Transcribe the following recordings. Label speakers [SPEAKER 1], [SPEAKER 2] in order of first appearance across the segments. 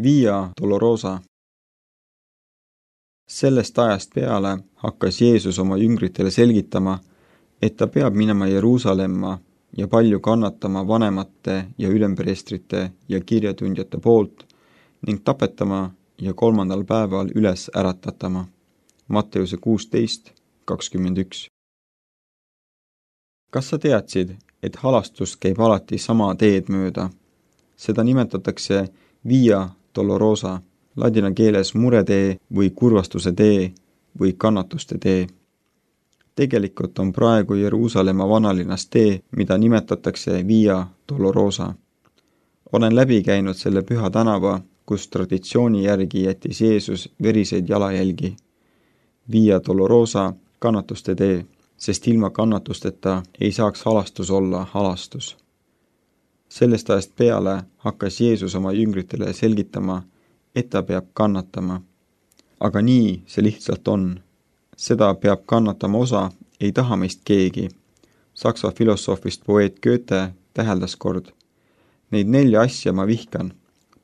[SPEAKER 1] Via Dolorosa. Sellest ajast peale hakkas Jeesus oma jüngritele selgitama, et ta peab minema Jeruusalemma ja palju kannatama vanemate ja ülempreestrite ja kirjatundjate poolt ning tapetama ja 3. päeval üles äratatama. Matteuse 16:21. Kas sa teadsid, et halastus käib alati sama teed mööda? Seda nimetatakse Via Dolorosa, ladina keeles muretee või kurvastuse tee või kannatuste tee. Tegelikult on praegu Jeruusalemma vanalinnas tee, mida nimetatakse Via Dolorosa. Olen läbi käinud selle püha tänava, kus traditsiooni järgi jättis Jeesus veriseid jalajälgi. Via Dolorosa, kannatuste tee, sest ilma kannatusteta ei saaks halastus olla halastus. Sellest ajast peale hakkas Jeesus oma jüngritele selgitama, et ta peab kannatama. Aga nii see lihtsalt on. Seda peab kannatama osa, ei taha meist keegi. Saksa filosoofist poeet Goethe täheldas kord. Neid 4 asja ma vihkan.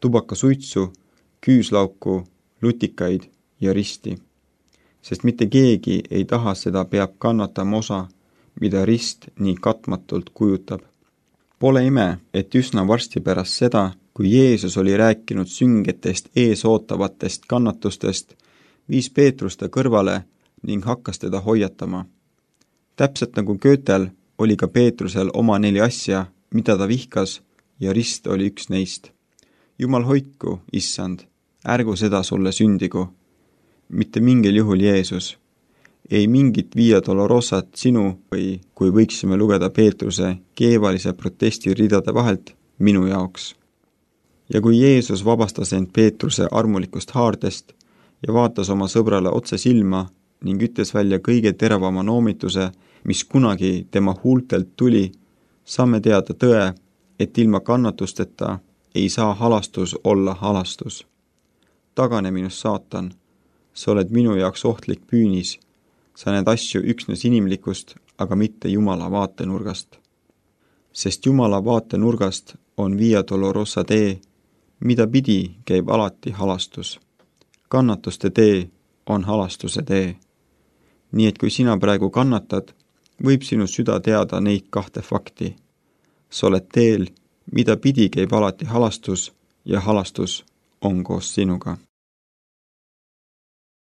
[SPEAKER 1] Tubakasuitsu, küüslauku, lutikaid ja risti. Sest mitte keegi ei taha seda peab kannatama osa, mida rist nii katmatult kujutab. Pole ime, et üsna varsti pärast seda, kui Jeesus oli rääkinud süngetest ees ootavatest kannatustest, viis Peetrus ta kõrvale ning hakkas teda hoiatama. Täpselt nagu Goethel oli ka Peetrusel oma 4 asja, mida ta vihkas, ja rist oli üks neist. Jumal hoidku, issand, ärgu seda sulle sündigu. Mitte mingil juhul Jeesus. Ei mingit Via Dolorosat sinu või, kui võiksime lugeda Peetruse keevalise protesti ridade vahelt, minu jaoks. Ja kui Jeesus vabastas end Peetruse armulikust haardest ja vaatas oma sõbrale otse silma ning ütles välja kõige teravama noomituse, mis kunagi tema huultelt tuli, saame teada tõe, et ilma kannatusteta ei saa halastus olla halastus. Tagane minust, saatan, sa oled minu jaoks ohtlik püünis. Sa näed asju üksnes inimlikust, aga mitte Jumala vaatenurgast. Sest Jumala vaatenurgast on Via Dolorosa tee, mida pidi käib alati halastus. Kannatuste tee on halastuse tee. Nii et kui sina praegu kannatad, võib sinu süda teada neid 2 fakti. Sa oled teel, mida pidi käib alati halastus ja halastus on koos sinuga.